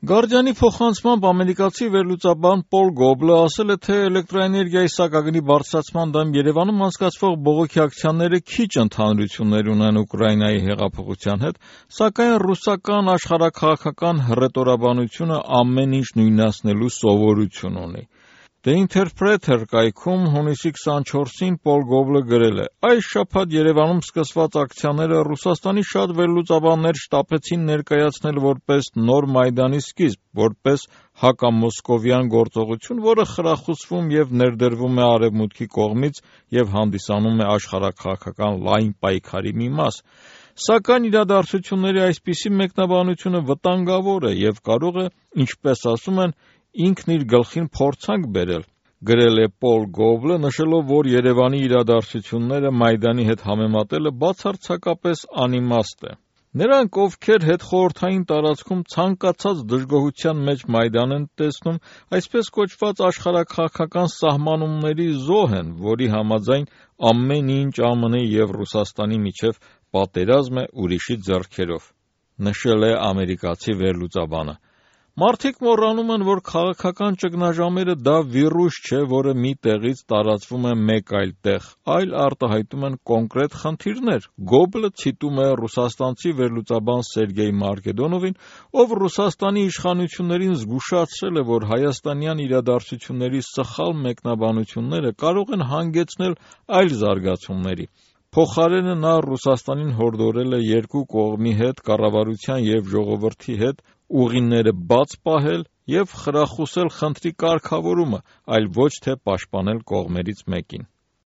Գարդիանի փոխանցմամբ ամերիկացի վերլուծաբան Պոլ Գոբլը ասել է, թե էլեկտրաէներգիայի սակագնի բարձրացման դեմ Երևանում անցկացվող բողոքի ակցիաները քիչ ընդհանրություններ ունեն Ուկրաինայի հեղափոխության հետ, սակայն ռուսական աշխարհաքաղաքական հռետորաբանությունը ամեն ինչ նույնացնելու սովորություն ունի։ The Interpreter կայքում հունիսի 24-ին Պոլ Գոբլը գրել է. «Այս շաբաթ Երևանում սկսված ակցիաները Ռուսաստանի շատ վերլուծաբաններ շտապեցին ներկայացնել որպես նոր Մայդանի սկիզբ, որպես հակամոսկովյան գործողություն, որը խրախուսվում և ներդրվում է Արևմուտքի կողմից և հանդիսանում է աշխարհաքաղաքական լայն պայքարի մի մաս։ Սակայն իրադարձությունների այսպիսի մեկնաբանությունը վտանգավոր է և կարող է, ինչպես ասում են, ինքն իր գլխին փորձանք բերել», գրել է Պոլ Գոբլը, նշելով, որ Երևանի իրադարձությունները Մայդանի հետ համեմատելը բացարձակապես անիմաստ է։ Նրանք, ովքեր հետխորհրդային տարածքում ցանկացած դժգոհության մեջ Մայդան են տեսնում, այսպես կոչված աշխարհաքաղաքական սահմանումների զոհ են, որի համաձայն ամեն ինչ ԱՄՆ-ի և Ռուսաստանի միջև պատերազմ է ուրիշի ձեռքերով, նշել է ամերիկացի վերլուծաբանը։ Մարդիկ մոռանում են, որ քաղաքական ճգնաժամերը դա վիրուս չէ, որը մի տեղից տարածվում է մեկ այլ տեղ, այլ արտահայտում են կոնկրետ խնդիրներ։ Գոբլը ցիտում է ռուսաստանցի վերլուծաբան Սերգեյ Մարկեդոնովին, ով Ռուսաստանի իշխանություններին զգուշացրել է, որ հայաստանյան իրադարձությունների սխալ մեկնաբանությունները կարող են հանգեցնել այլ զարգացումների։ Փոխարենը նա Ռուսաստանին հորդորել է երկու կողմի հետ, կառավարության և ժողովրդի հետ ուղիները բաց պահել և խրախուսել խնդրի կարգավորումը, այլ ոչ թե պաշտպանել կողմերից մեկին։